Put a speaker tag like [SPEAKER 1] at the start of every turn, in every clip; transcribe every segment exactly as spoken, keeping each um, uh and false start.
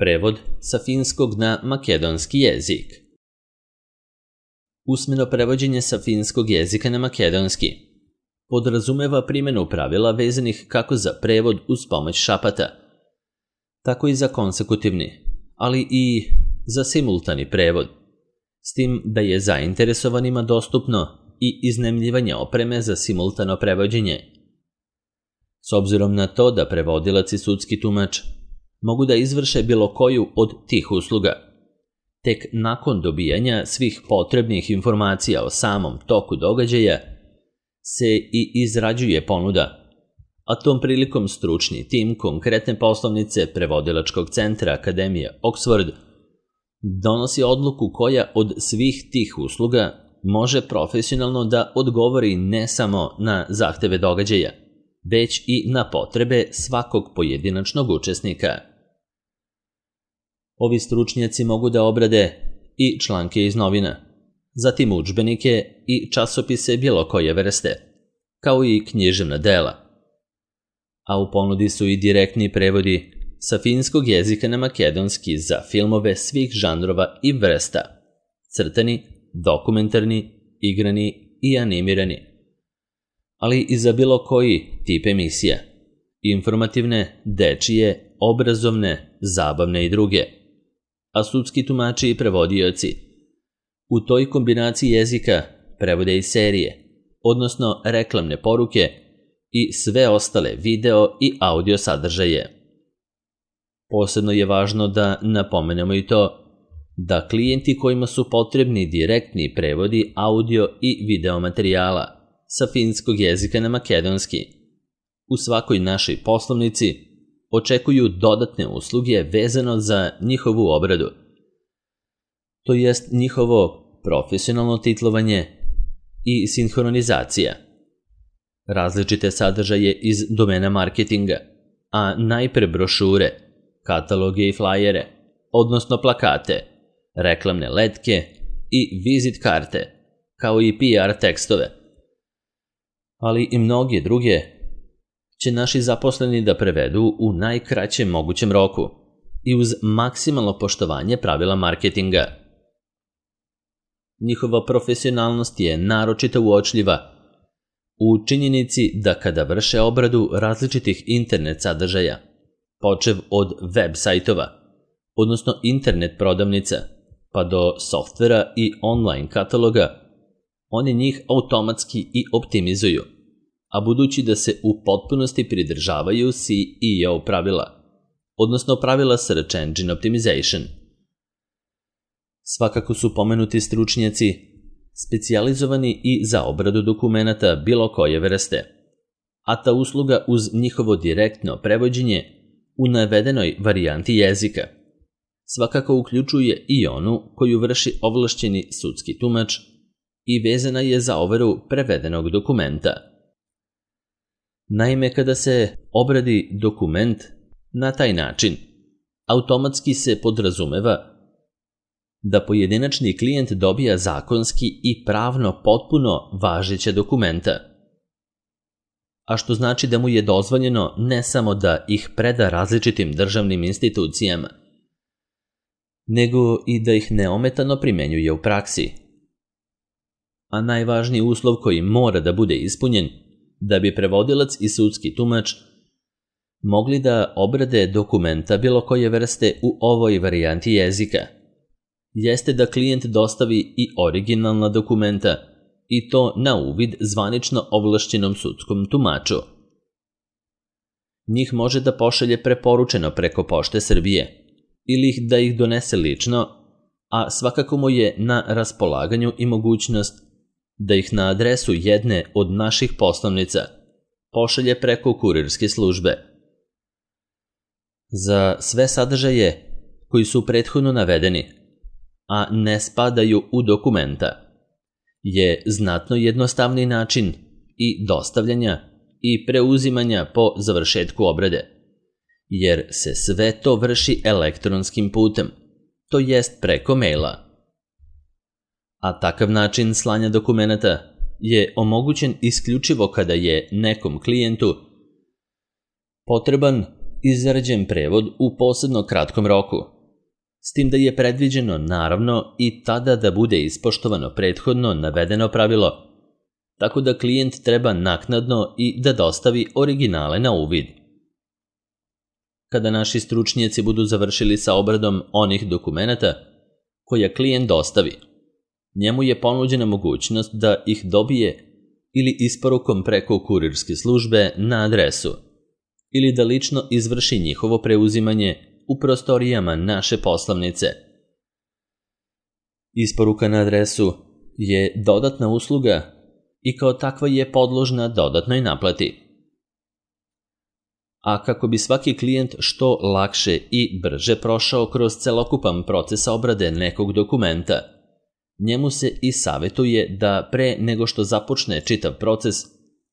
[SPEAKER 1] Prevod sa finskog na makedonski jezik. Usmeno prevođenje sa finskog jezika na makedonski podrazumeva primjenu pravila vezanih kako za prevod uz pomoć šapata, tako i za konsekutivni, ali i za simultani prevod, s tim da je zainteresovanima dostupno i iznajmljivanje opreme za simultano prevođenje. S obzirom na to da prevodilac i sudski tumač mogu da izvrše bilo koju od tih usluga, tek nakon dobijanja svih potrebnih informacija o samom toku događaja se i izrađuje ponuda, a tom prilikom stručni tim konkretne poslovnice Prevodilačkog centra Akademije Oxford donosi odluku koja od svih tih usluga može profesionalno da odgovori ne samo na zahteve događaja, već i na potrebe svakog pojedinačnog učesnika. Ovi stručnjaci mogu da obrade i članke iz novina, zatim udžbenike i časopise bilo koje vrste, kao i književna dela. A u ponudi su i direktni prevodi sa finskog jezika na makedonski za filmove svih žanrova i vrsta, crtani, dokumentarni, igrani i animirani, ali i za bilo koji tip emisija, informativne, dečije, obrazovne, zabavne i druge, a sudski tumači i prevodioci u toj kombinaciji jezika prevode i serije, odnosno reklamne poruke i sve ostale video i audio sadržaje. Posebno je važno da napomenemo i to da klijenti kojima su potrebni direktni prevodi audio i video materijala sa finskog jezika na makedonski u svakoj našoj poslovnici očekuju dodatne usluge vezano za njihovu obradu, to jest njihovo profesionalno titlovanje i sinhronizacija, različite sadržaje iz domena marketinga, a najpre brošure, kataloge i flajere, odnosno plakate, reklamne letke i vizit karte, kao i P R tekstove, ali i mnoge druge će naši zaposleni da prevedu u najkraćem mogućem roku i uz maksimalno poštovanje pravila marketinga. Njihova profesionalnost je naročito uočljiva u činjenici da kada vrše obradu različitih internet sadržaja, počev od web sajtova, odnosno internet prodavnica, pa do softvera i online kataloga, oni njih automatski i optimizuju, a budući da se u potpunosti pridržavaju C E O pravila, odnosno pravila Search Engine Optimization. Svakako su pomenuti stručnjaci specijalizovani i za obradu dokumenata bilo koje vrste, a ta usluga uz njihovo direktno prevođenje u navedenoj varijanti jezika svakako uključuje i onu koju vrši ovlašćeni sudski tumač i vezana je za overu prevedenog dokumenta. Naime, kada se obradi dokument na taj način, automatski se podrazumeva da pojedinačni klijent dobija zakonski i pravno potpuno važeća dokumenta, a što znači da mu je dozvoljeno ne samo da ih preda različitim državnim institucijama, nego i da ih neometano primenjuje u praksi. A najvažniji uslov koji mora da bude ispunjen da bi prevodilac i sudski tumač mogli da obrade dokumenta bilo koje vrste u ovoj varijanti jezika, jeste da klijent dostavi i originalna dokumenta i to na uvid zvanično ovlašćenom sudskom tumaču. Njih može da pošalje preporučeno preko Pošte Srbije ili ih da ih donese lično, a svakako mu je na raspolaganju i mogućnost da ih na adresu jedne od naših poslovnica pošalje preko kurirske službe. Za sve sadržaje koji su prethodno navedeni, a ne spadaju u dokumenta, je znatno jednostavniji način i dostavljanja i preuzimanja po završetku obrade, jer se sve to vrši elektronskim putem, to jest preko maila. A takav način slanja dokumenata je omogućen isključivo kada je nekom klijentu potreban izrađen prevod u posebno kratkom roku, s tim da je predviđeno naravno i tada da bude ispoštovano prethodno navedeno pravilo, tako da klijent treba naknadno i da dostavi originale na uvid. Kada naši stručnjaci budu završili sa obradom onih dokumenata koja klijent dostavi, njemu je ponuđena mogućnost da ih dobije ili isporukom preko kurirske službe na adresu, ili da lično izvrši njihovo preuzimanje u prostorijama naše poslovnice. Isporuka na adresu je dodatna usluga i kao takva je podložna dodatnoj naplati. A kako bi svaki klijent što lakše i brže prošao kroz celokupan proces obrade nekog dokumenta, njemu se i savjetuje da pre nego što započne čitav proces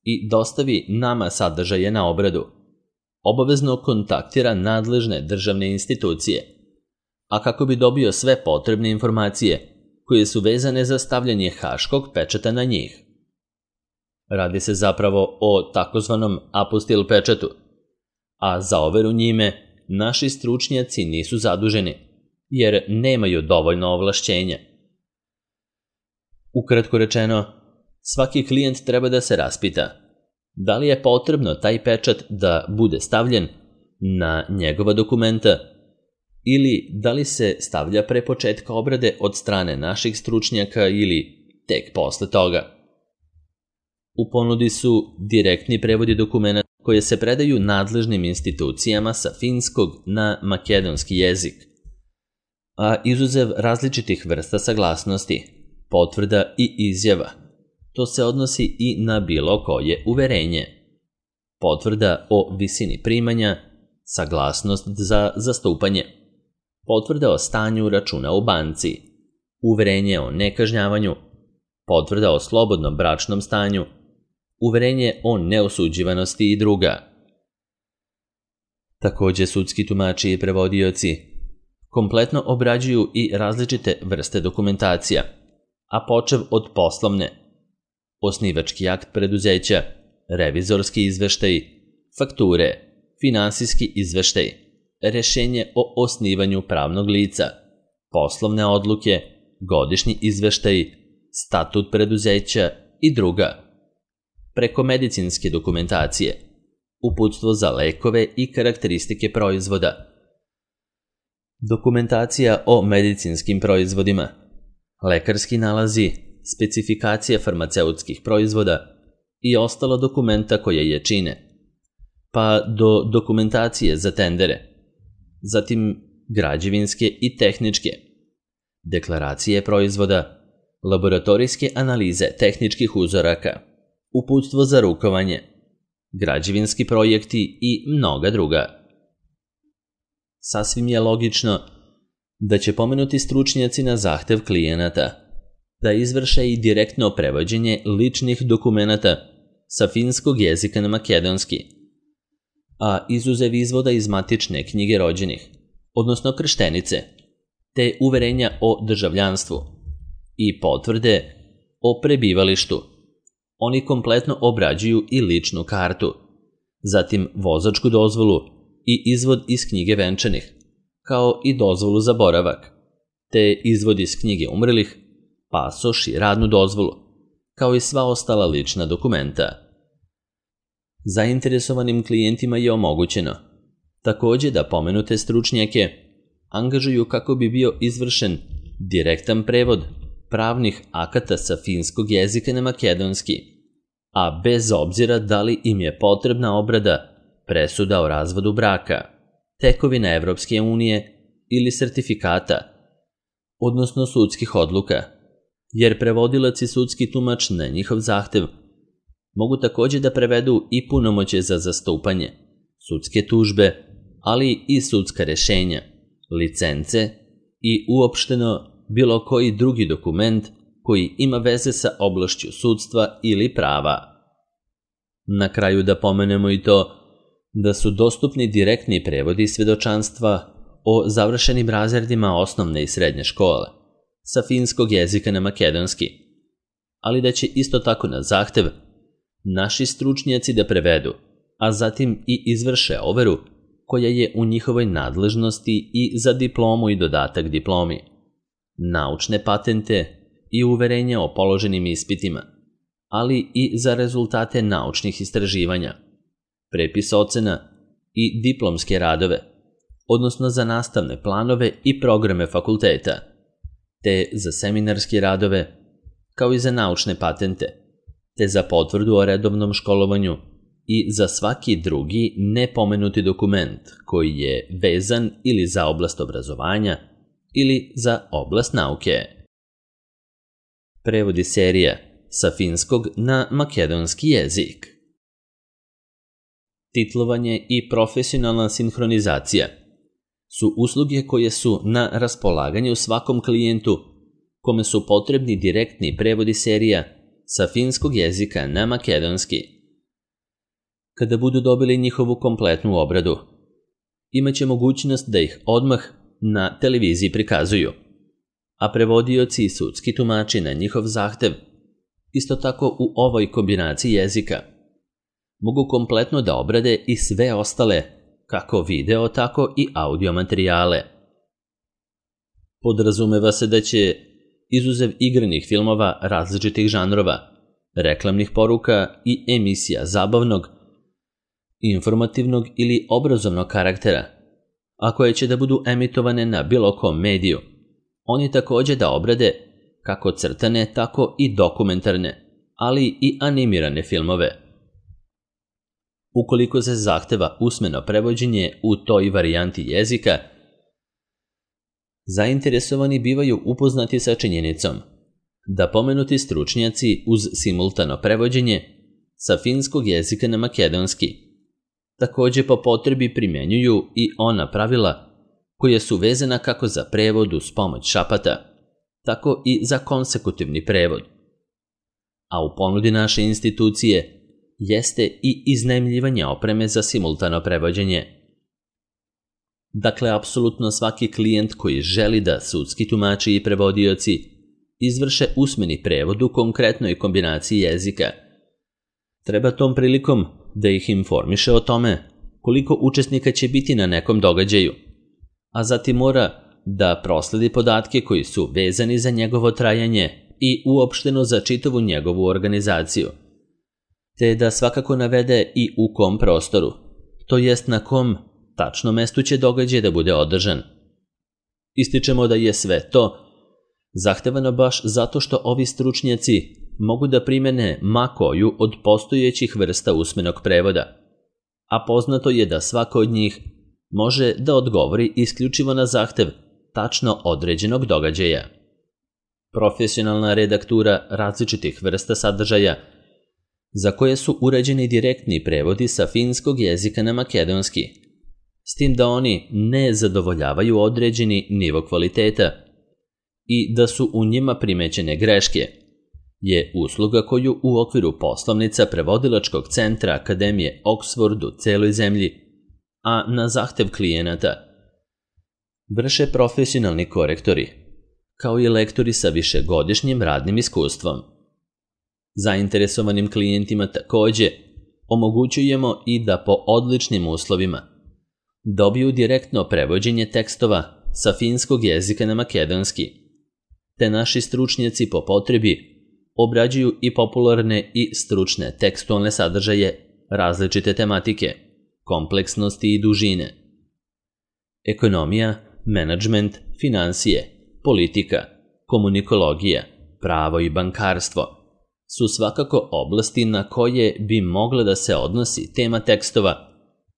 [SPEAKER 1] i dostavi nama sadržaje na obradu, obavezno kontaktira nadležne državne institucije, a kako bi dobio sve potrebne informacije koje su vezane za stavljanje haškog pečata na njih. Radi se zapravo o takozvanom apostil pečatu, a za overu njime naši stručnjaci nisu zaduženi, jer nemaju dovoljno ovlašćenja. Ukratko rečeno, svaki klijent treba da se raspita da li je potrebno taj pečat da bude stavljen na njegova dokumenta ili da li se stavlja pre početka obrade od strane naših stručnjaka ili tek posle toga. U ponudi su direktni prevodi dokumenta koje se predaju nadležnim institucijama sa finskog na makedonski jezik, a izuzev različitih vrsta saglasnosti, potvrda i izjava. To se odnosi i na bilo koje uverenje. Potvrda o visini primanja, saglasnost za zastupanje, potvrda o stanju računa u banci, uverenje o nekažnjavanju, potvrda o slobodnom bračnom stanju, uverenje o neosuđivanosti i druga. Takođe, sudski tumači i prevodioci kompletno obrađuju i različite vrste dokumentacija, a počev od poslovne, osnivački akt preduzeća, revizorski izveštaj, fakture, finansijski izveštaj, rešenje o osnivanju pravnog lica, poslovne odluke, godišnji izveštaj, statut preduzeća i druga. Preko medicinske dokumentacije, uputstvo za lekove i karakteristike proizvoda, dokumentacija o medicinskim proizvodima, lekarski nalazi, specifikacija farmaceutskih proizvoda i ostala dokumenta koja je čine, pa do dokumentacije za tendere, zatim građevinske i tehničke, deklaracije proizvoda, laboratorijske analize tehničkih uzoraka, uputstvo za rukovanje, građevinski projekti i mnoga druga. Sasvim je logično da će pomenuti stručnjaci na zahtev klijenata da izvrše i direktno prevođenje ličnih dokumenata sa finskog jezika na makedonski, a izuzev izvoda iz matične knjige rođenih, odnosno krštenice, te uverenja o državljanstvu i potvrde o prebivalištu, oni kompletno obrađuju i ličnu kartu, zatim vozačku dozvolu i izvod iz knjige venčanih, kao i dozvolu za boravak, te izvod iz knjige umrlih, pasoš i radnu dozvolu, kao i sva ostala lična dokumenta. Zainteresovanim klijentima je omogućeno takođe da pomenute stručnjake angažuju kako bi bio izvršen direktan prevod pravnih akata sa finskog jezika na makedonski, a bez obzira da li im je potrebna obrada presuda o razvodu braka, tekovina Evropske unije ili sertifikata, odnosno sudskih odluka, jer prevodilac i sudski tumač na njihov zahtev mogu takođe da prevedu i punomoćje za zastupanje, sudske tužbe, ali i sudska rešenja, licence i uopšteno bilo koji drugi dokument koji ima veze sa oblašću sudstva ili prava. Na kraju da pomenemo i to da su dostupni direktni prevodi svedočanstva o završenim razredima osnovne i srednje škole sa finskog jezika na makedonski, ali da će isto tako na zahtev naši stručnjaci da prevedu, a zatim i izvrše overu koja je u njihovoj nadležnosti i za diplomu i dodatak diplomi, naučne patente i uverenja o položenim ispitima, ali i za rezultate naučnih istraživanja, prepis ocena i diplomske radove, odnosno za nastavne planove i programe fakulteta, te za seminarske radove, kao i za naučne patente, te za potvrdu o redovnom školovanju i za svaki drugi nepomenuti dokument koji je vezan ili za oblast obrazovanja ili za oblast nauke. Prevodi serija sa finskog na makedonski jezik. Titlovanje i profesionalna sinhronizacija su usluge koje su na raspolaganju svakom klijentu kome su potrebni direktni prevodi serija sa finskog jezika na makedonski. Kada budu dobili njihovu kompletnu obradu, imaće mogućnost da ih odmah na televiziji prikazuju, a prevodioci i sudski tumači na njihov zahtev, isto tako u ovoj kombinaciji jezika, mogu kompletno da obrade i sve ostale, kako video, tako i audio materijale. Podrazumeva se da će, izuzev igranih filmova različitih žanrova, reklamnih poruka i emisija zabavnog, informativnog ili obrazovnog karaktera, a koje će da budu emitovane na bilo kom mediju, oni takođe da obrade kako crtane, tako i dokumentarne, ali i animirane filmove. Ukoliko se zahteva usmeno prevođenje u toj varijanti jezika, zainteresovani bivaju upoznati sa činjenicom da pomenuti stručnjaci uz simultano prevođenje sa finskog jezika na makedonski takođe po potrebi primenjuju i ona pravila koja su vezana kako za prevod uz pomoć šapata, tako i za konsekutivni prevod. A u ponudi naše institucije jeste i iznajmljivanje opreme za simultano prevođenje. Dakle, apsolutno svaki klijent koji želi da sudski tumači i prevodioci izvrše usmeni prevod u konkretnoj kombinaciji jezika, treba tom prilikom da ih informiše o tome koliko učesnika će biti na nekom događaju, a zatim mora da prosledi podatke koji su vezani za njegovo trajanje i uopšteno za čitavu njegovu organizaciju, te da svakako navede i u kom prostoru, to jest na kom tačno mestu će događaj da bude održan. Ističemo da je sve to zahtevano baš zato što ovi stručnjaci mogu da primene ma koju od postojećih vrsta usmenog prevoda, a poznato je da svako od njih može da odgovori isključivo na zahtev tačno određenog događaja. Profesionalna redaktura različitih vrsta sadržaja za koje su uređeni direktni prevodi sa finskog jezika na makedonski, s tim da oni ne zadovoljavaju određeni nivo kvaliteta i da su u njima primećene greške, je usluga koju u okviru poslovnica prevodilačkog centra Akademije Oxford u celoj zemlji, a na zahtev klijenata, vrše profesionalni korektori, kao i lektori sa višegodišnjim radnim iskustvom. Zainteresovanim klijentima takođe omogućujemo i da po odličnim uslovima dobiju direktno prevođenje tekstova sa finskog jezika na makedonski, te naši stručnjaci po potrebi obrađuju i popularne i stručne tekstualne sadržaje različite tematike, kompleksnosti i dužine. Ekonomija, menadžment, finansije, politika, komunikologija, pravo i bankarstvo su svakako oblasti na koje bi mogla da se odnosi tema tekstova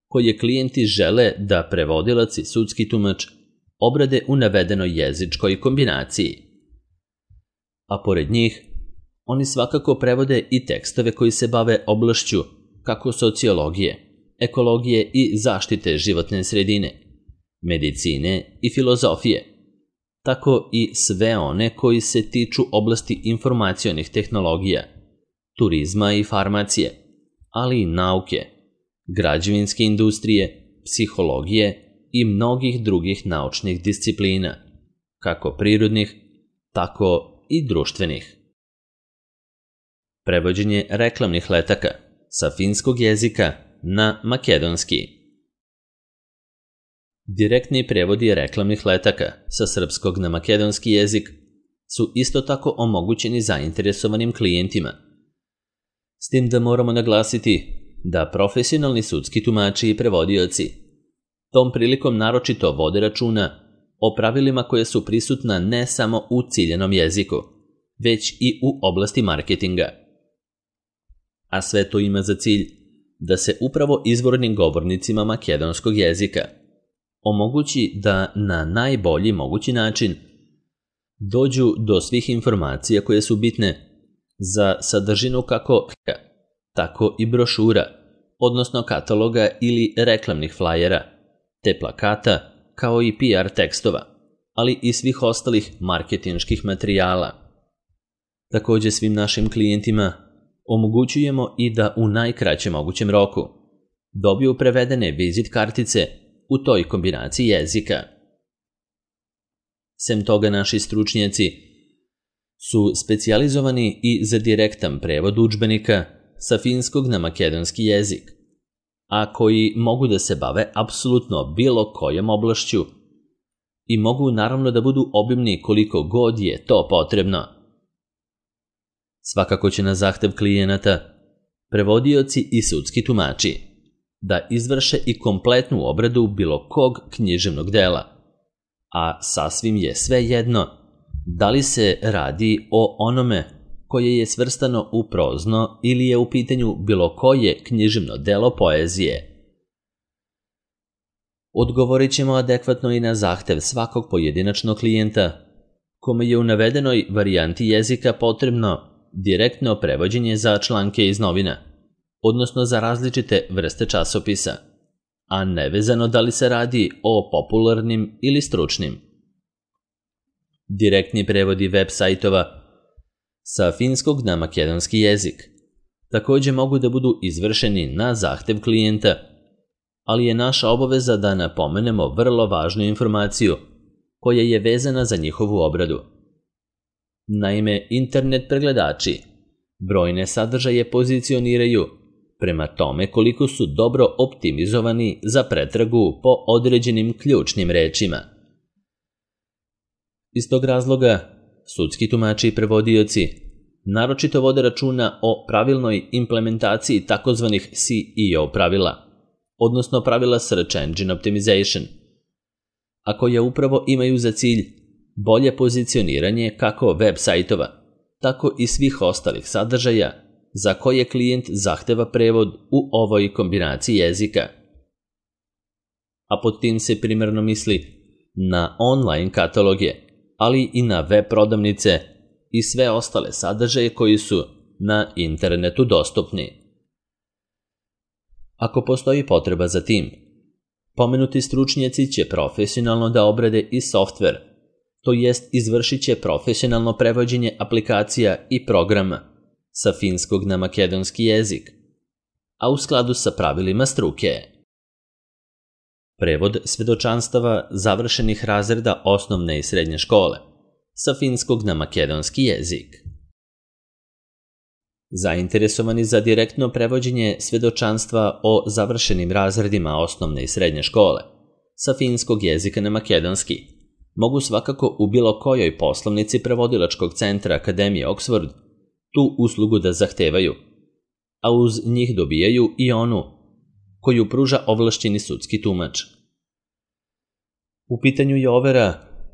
[SPEAKER 1] koje klijenti žele da prevodilac i sudski tumač obrade u navedenoj jezičkoj kombinaciji. A pored njih, oni svakako prevode i tekstove koji se bave oblašću kako sociologije, ekologije i zaštite životne sredine, medicine i filozofije, tako i sve one koji se tiču oblasti informacionih tehnologija, turizma i farmacije, ali i nauke, građevinske industrije, psihologije i mnogih drugih naučnih disciplina, kako prirodnih, tako i društvenih. Prevođenje reklamnih letaka sa finskog jezika na makedonski. Direktni prevodi reklamnih letaka sa srpskog na makedonski jezik su isto tako omogućeni zainteresovanim klijentima. S tim da moramo naglasiti da profesionalni sudski tumači i prevodioci tom prilikom naročito vode računa o pravilima koje su prisutna ne samo u ciljanom jeziku, već i u oblasti marketinga. A sve to ima za cilj da se upravo izvornim govornicima makedonskog jezika omogući da na najbolji mogući način dođu do svih informacija koje su bitne za sadržinu kako tako i brošura, odnosno kataloga ili reklamnih flajera, te plakata, kao i P R tekstova, ali i svih ostalih marketinških materijala. Također svim našim klijentima omogućujemo i da u najkraćem mogućem roku dobiju prevedene vizit kartice u toj kombinaciji jezika. Sem toga, naši stručnjaci su specijalizovani i za direktan prevod udžbenika sa finskog na makedonski jezik, a koji mogu da se bave apsolutno bilo kojom oblašću i mogu naravno da budu obimni koliko god je to potrebno. Svakako će na zahtev klijenata prevodioci i sudski tumači da izvrše i kompletnu obradu bilo kog književnog dela, a sasvim je svejedno da li se radi o onome koje je svrstano u prozno ili je u pitanju bilo koje književno delo poezije. Odgovorit ćemo adekvatno i na zahtev svakog pojedinačnog klijenta kome je u navedenoj varijanti jezika potrebno direktno prevođenje za članke iz novina, odnosno za različite vrste časopisa, a nevezano da li se radi o popularnim ili stručnim. Direktni prevodi web sajtova sa finskog na makedonski jezik također mogu da budu izvršeni na zahtev klijenta, ali je naša obaveza da napomenemo vrlo važnu informaciju koja je vezana za njihovu obradu. Naime, internet pregledači brojne sadržaje pozicioniraju prema tome koliko su dobro optimizovani za pretragu po određenim ključnim rečima. Iz tog razloga, sudski tumači i prevodioci naročito vode računa o pravilnoj implementaciji takozvanih S E O pravila, odnosno pravila Search Engine Optimization, a koja upravo imaju za cilj bolje pozicioniranje kako web sajtova, tako i svih ostalih sadržaja za koje klijent zahteva prevod u ovoj kombinaciji jezika. A pod tim se primarno misli na online kataloge, ali i na web prodavnice i sve ostale sadržaje koji su na internetu dostupni. Ako postoji potreba za tim, pomenuti stručnjaci će profesionalno da obrade i softver, to jest izvršit će profesionalno prevođenje aplikacija i programa sa finskog na makedonski jezik, a u skladu sa pravilima struke. Prevod svedočanstava završenih razreda osnovne i srednje škole sa finskog na makedonski jezik. Zainteresovani za direktno prevođenje svedočanstva o završenim razredima osnovne i srednje škole sa finskog jezika na makedonski mogu svakako u bilo kojoj poslovnici prevodilačkog centra Akademije Oxford tu uslugu da zahtevaju, a uz njih dobijaju i onu koju pruža ovlašćeni sudski tumač. U pitanju je overa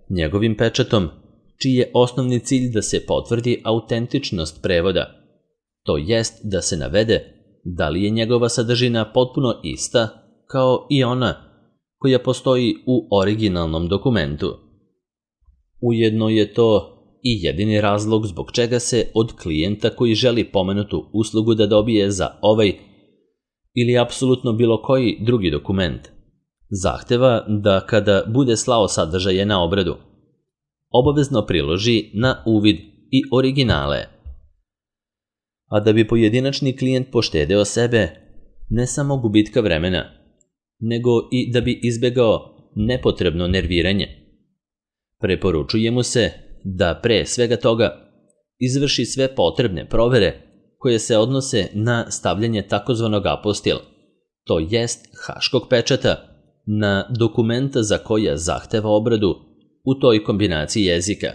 [SPEAKER 1] njegovim pečatom, čiji je osnovni cilj da se potvrdi autentičnost prevoda, to jest da se navede da li je njegova sadržina potpuno ista kao i ona koja postoji u originalnom dokumentu. Ujedno je to i jedini razlog zbog čega se od klijenta koji želi pomenutu uslugu da dobije za ovaj ili apsolutno bilo koji drugi dokument zahteva da kada bude slao sadržaje na obradu, obavezno priloži na uvid i originale. A da bi pojedinačni klijent poštedeo sebe ne samo gubitka vremena, nego i da bi izbegao nepotrebno nerviranje, preporučuje mu se da pre svega toga izvrši sve potrebne provere koje se odnose na stavljanje takozvanog apostil, to jest haškog pečata, na dokumenta za koja zahteva obradu u toj kombinaciji jezika,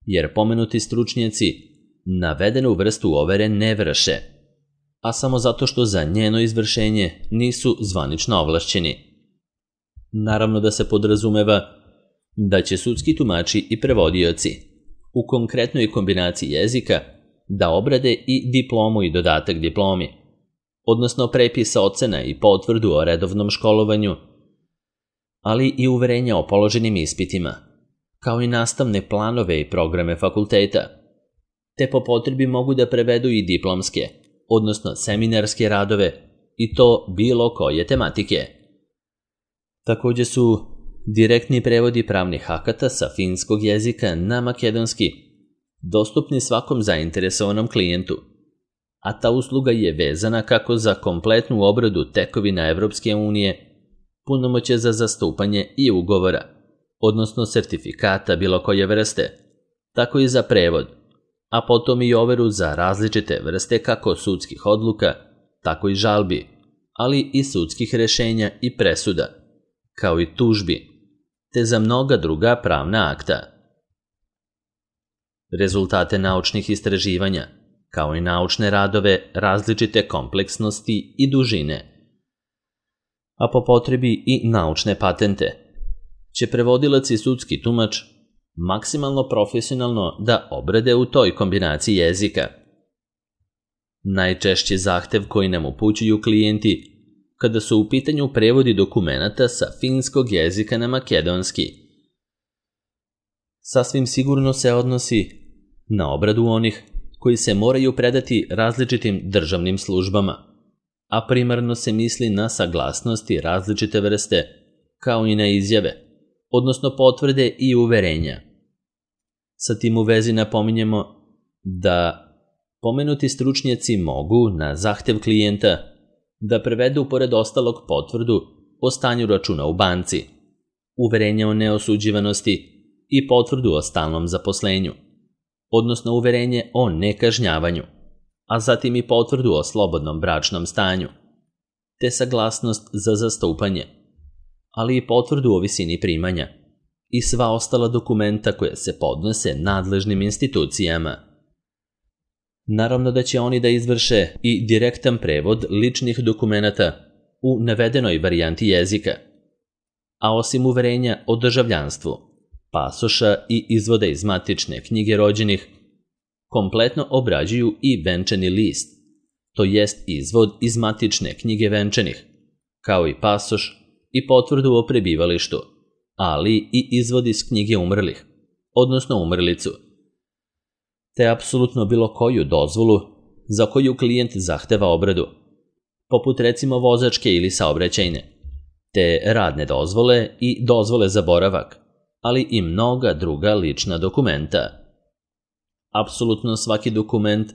[SPEAKER 1] jer pomenuti stručnjaci navedenu vrstu overe ne vrše, a samo zato što za njeno izvršenje nisu zvanično ovlašćeni. Naravno da se podrazumeva da će sudski tumači i prevodioci u konkretnoj kombinaciji jezika da obrade i diplomu i dodatak diplomi, odnosno prepis ocena i potvrdu o redovnom školovanju, ali i uverenja o položenim ispitima, kao i nastavne planove i programe fakulteta, te po potrebi mogu da prevedu i diplomske, odnosno seminarske radove, i to bilo koje tematike. Takođe su direktni prevodi pravnih akata sa finskog jezika na makedonski dostupni svakom zainteresovanom klijentu, a ta usluga je vezana kako za kompletnu obradu tekovina Evropske unije, punomoćje za zastupanje i ugovora, odnosno sertifikata bilo koje vrste, tako i za prevod, a potom i overu za različite vrste kako sudskih odluka, tako i žalbi, ali i sudskih rešenja i presuda, kao i tužbi, te za mnoga druga pravna akta. Rezultate naučnih istraživanja, kao i naučne radove različite kompleksnosti i dužine, a po potrebi i naučne patente, će prevodilac i sudski tumač maksimalno profesionalno da obrade u toj kombinaciji jezika. Najčešći zahtev koji nam upućuju klijenti kada su u pitanju prevodi dokumenata sa finskog jezika na makedonski, sasvim sigurno se odnosi na obradu onih koji se moraju predati različitim državnim službama, a primarno se misli na saglasnosti različite vrste, kao i na izjave, odnosno potvrde i uverenja. Sa tim u vezi napominjemo da pomenuti stručnjaci mogu na zahtev klijenta da prevedu pored ostalog potvrdu o stanju računa u banci, uverenje o neosuđivanosti i potvrdu o stalnom zaposlenju, odnosno uverenje o nekažnjavanju, a zatim i potvrdu o slobodnom bračnom stanju, te saglasnost za zastupanje, ali i potvrdu o visini primanja i sva ostala dokumenta koje se podnose nadležnim institucijama. Naravno da će oni da izvrše i direktan prevod ličnih dokumenata u navedenoj varijanti jezika, a osim uverenja o državljanstvu, pasoša i izvoda iz matične knjige rođenih, kompletno obrađuju i venčani list, to jest izvod iz matične knjige venčanih, kao i pasoš i potvrdu o prebivalištu, ali i izvod iz knjige umrlih, odnosno umrlicu, te apsolutno bilo koju dozvolu za koju klijent zahteva obradu, poput recimo vozačke ili saobraćajne, te radne dozvole i dozvole za boravak, ali i mnoga druga lična dokumenta. Apsolutno svaki dokument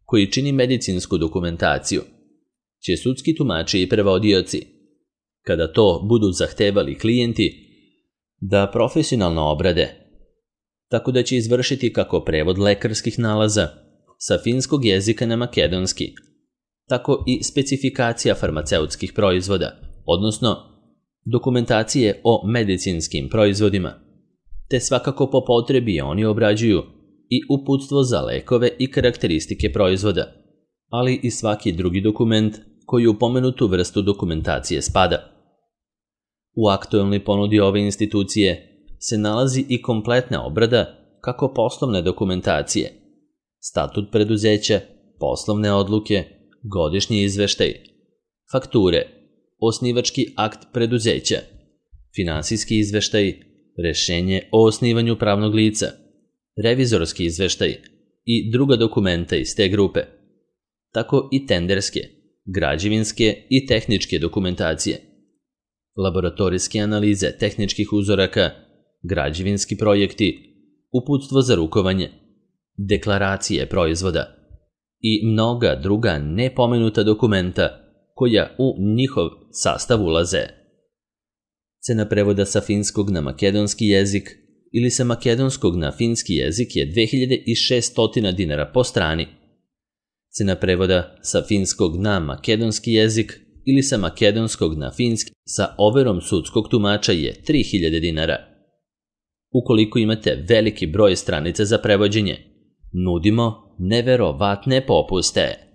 [SPEAKER 1] koji čini medicinsku dokumentaciju će sudski tumači i prevodioci, kada to budu zahtevali klijenti, da profesionalno obrade, tako da će izvršiti kako prevod lekarskih nalaza sa finskog jezika na makedonski, tako i specifikacija farmaceutskih proizvoda, odnosno dokumentacije o medicinskim proizvodima, te svakako po potrebi oni obrađuju i uputstvo za lekove i karakteristike proizvoda, ali i svaki drugi dokument koji u pomenutu vrstu dokumentacije spada. U aktuelnoj ponudi ove institucije se nalazi i kompletna obrada kako poslovne dokumentacije, statut preduzeća, poslovne odluke, godišnji izveštaj, fakture, osnivački akt preduzeća, finansijski izveštaj, rešenje o osnivanju pravnog lica, revizorski izveštaj i druga dokumenta iz te grupe, tako i tenderske, građevinske i tehničke dokumentacije, laboratorijske analize tehničkih uzoraka, građevinski projekti, uputstvo za rukovanje, deklaracije proizvoda i mnoga druga nepomenuta dokumenta koja u njihov sastav ulaze. Cena prevoda sa finskog na makedonski jezik ili sa makedonskog na finski jezik je dve hiljade šesto dinara po strani. Cena prevoda sa finskog na makedonski jezik ili sa makedonskog na finski sa overom sudskog tumača je tri hiljade dinara. Ukoliko imate veliki broj stranica za prevođenje, nudimo neverovatne popuste.